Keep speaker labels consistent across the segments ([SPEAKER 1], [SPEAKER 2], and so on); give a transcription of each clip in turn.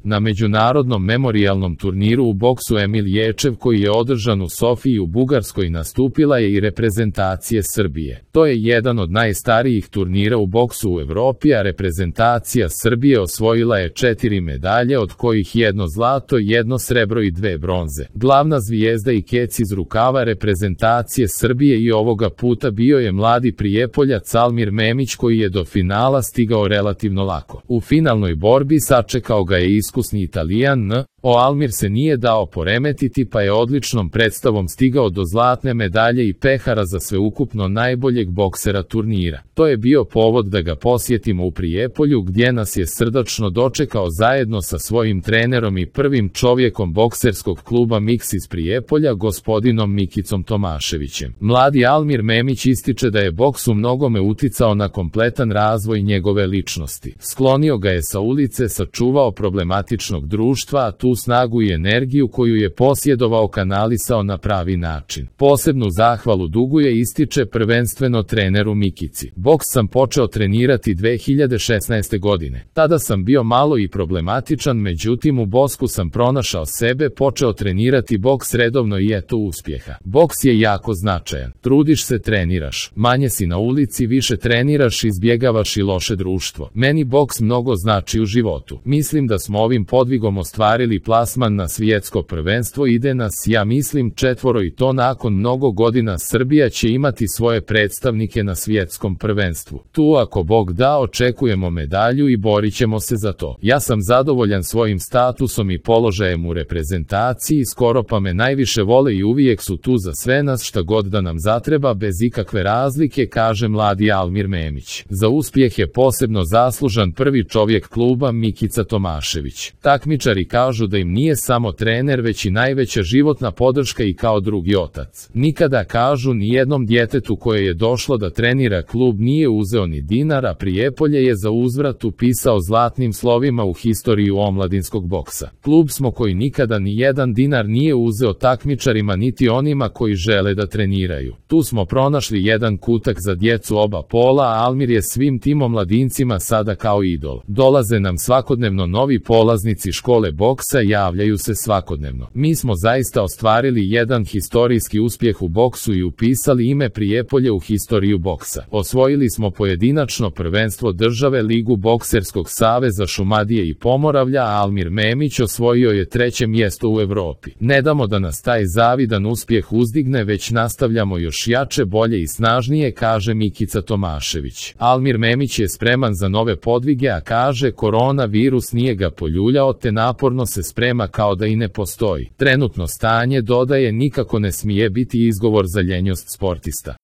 [SPEAKER 1] Na međunarodnom memorijalnom turniru u boksu Emil Ječev koji je održan u Sofiji u Bugarskoj nastupila je i reprezentacija Srbije. To je jedan od najstarijih turnira u boksu u Evropi, a reprezentacija Srbije osvojila je 4 medalje, od kojih 1 zlato, 1 srebro i 2 bronze. Glavna zvijezda i kec iz rukava reprezentacije Srbije i ovoga puta bio je mladi Prijepoljac Almir Memić koji je do finala stigao relativno lako. U finalnoj borbi sačekao ga je iskusni Italijan Almir se nije dao poremetiti pa je odličnom predstavom stigao do zlatne medalje i pehara za sveukupno najboljeg boksera turnira. To je bio povod da ga posjetimo u Prijepolju gdje nas je srdačno dočekao zajedno sa svojim trenerom i prvim čovjekom bokserskog kluba Miks iz Prijepolja, gospodinom Mikicom Tomaševićem. Mladi Almir Memić ističe da je boks u mnogome uticao na kompletan razvoj njegove ličnosti. Sklonio ga je sa ulice, sačuvao problematičnog društva, a tu snagu i energiju koju je posjedovao kanalisao na pravi način. Posebnu zahvalu duguje, ističe prvenstveno treneru Mikici. Boks sam počeo trenirati 2016. godine. Tada sam bio malo i problematičan, međutim u boksu sam pronašao sebe, počeo trenirati boks redovno i eto uspjeha. Boks je jako značajan. Trudiš se, treniraš. Manje si na ulici, više treniraš, izbjegavaš i loše društvo. Meni boks mnogo znači u životu. Mislim da smo ovim podvigom ostvarili plasman na svjetsko prvenstvo, ide nas, ja mislim, 4 i to nakon mnogo godina Srbija će imati svoje predstavnike na svjetskom prvenstvu. Tu ako Bog da očekujemo medalju i borit ćemo se za to. Ja sam zadovoljan svojim statusom i položajem u reprezentaciji, skoro pa me najviše vole i uvijek su tu za sve nas šta god da nam zatreba bez ikakve razlike, kaže mladi Almir Memić. Za uspjeh je posebno zaslužan prvi čovjek kluba Mikica Tomašević. Takmičari kažu da im nije samo trener već i najveća životna podrška i kao drugi otac. Nikada, kažu, ni jednom djetetu koje je došlo da trenira klub nije uzeo ni dinara. Prijepolje je za uzvrat upisao zlatnim slovima u historiju omladinskog boksa. Klub smo koji nikada ni jedan dinar nije uzeo takmičarima niti onima koji žele da treniraju. Tu smo pronašli jedan kutak za djecu oba pola, a Almir je svim tim omladincima sada kao idol. Dolaze nam svakodnevno novi polaznici škole boksa, javljaju se svakodnevno. Mi smo zaista ostvarili jedan historijski uspjeh u boksu i upisali ime Prijepolje u historiju boksa. Osvojili smo pojedinačno prvenstvo države, ligu bokserskog saveza Šumadije i Pomoravlja, a Almir Memić osvojio je 3. mjesto u Evropi. Ne damo da nas taj zavidan uspjeh uzdigne, već nastavljamo još jače, bolje i snažnije, kaže Mikica Tomašević. Almir Memić je spreman za nove podvige, a kaže koronavirus nije ga poljuljao te naporno se sprema kao da i ne postoji. Trenutno stanje, dodaje, nikako ne smije biti izgovor za ljenjost sportista.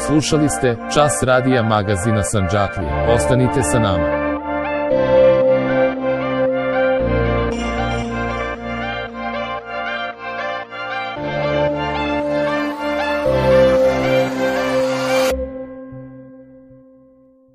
[SPEAKER 1] Slušali ste Čas radija magazina Sandžaklije. Ostanite sa nama.